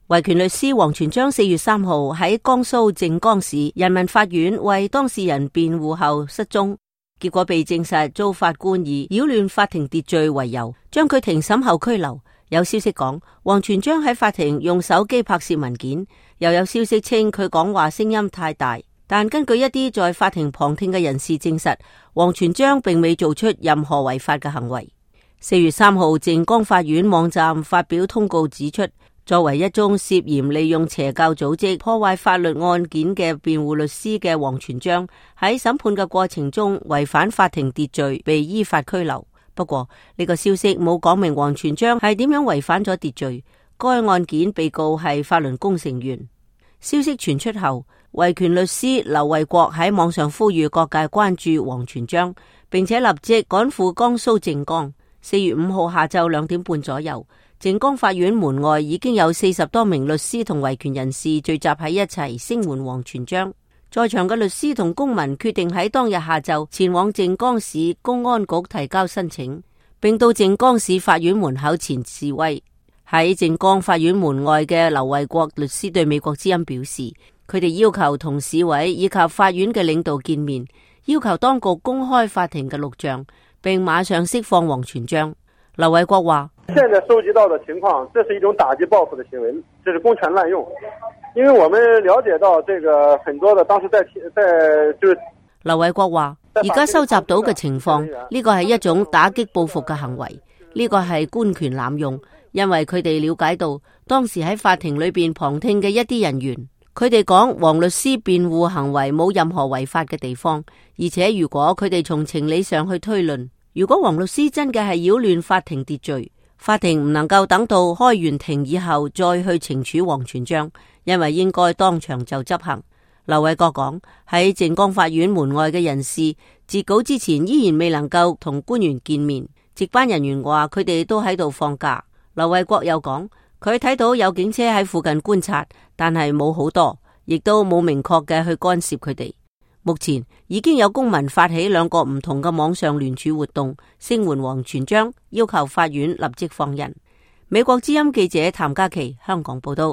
維權律師王全璋4月3號喺江蘇靖江市人民法院為當事人辯護後失蹤，結果被證實遭法官以擾亂法庭秩序為由，將佢庭審後拘留。有消息講，王全璋喺法庭用手機拍攝文件，又有消息稱佢講話聲音太大。但根據一啲在法庭旁聽嘅人士證實，王全璋並未做出任何違法嘅行為。4月3號，靖江法院網站發表通告指出，作為一宗涉嫌利用邪教組織破壞法律案件嘅辯護律師嘅王全璋，喺審判嘅過程中違反法庭秩序，被依法拘留。不過呢個消息冇講明王全璋係點樣違反咗秩序。該案件被告係法輪功成員。消息傳出後，維權律師劉衛國喺網上呼籲各界關注王全璋，並且立即趕赴江蘇靖江。4月5號下晝2點半左右，靖江法院門外已經有40多名律師同維權人士聚集喺一齊聲援王全璋。在場嘅律師同公民決定喺當日下晝前往靖江市公安局提交申請，並到靖江市法院門口前示威。喺靖江法院門外嘅劉衛國律師對美國之音表示，佢哋要求同市委以及法院嘅領導見面，要求當局公開法庭嘅錄像，並馬上釋放王全璋。劉衛國話：現在收集到的情況，這是一種打擊報復的行為，這是公權濫用。因為我們了解到，這個很多的當時在就是劉衛國話，而家收集到嘅情況，呢個係一種打擊報復嘅行為，呢個係官權濫用。因為佢哋了解到，當時喺法庭裏邊旁聽嘅一啲人員，佢哋講王律師辯護行為冇任何違法嘅地方，而且如果佢哋從情理上去推論，如果王律師真嘅係擾亂法庭秩序，法庭唔能夠等到開完庭以後再去懲處王全璋，因為應該當場就執行。劉衛國講，喺靖江法院門外嘅人士截稿之前依然未能夠同官員見面，值班人員話佢哋都喺度放假。劉衛國又講，佢睇到有警車喺附近觀察，但係冇好多，亦都冇明確嘅去干涉佢哋。目前已經有公民發起2個唔同嘅網上聯署活動，聲援王全璋，要求法院立即放人。美國之音記者譚嘉琪香港報道。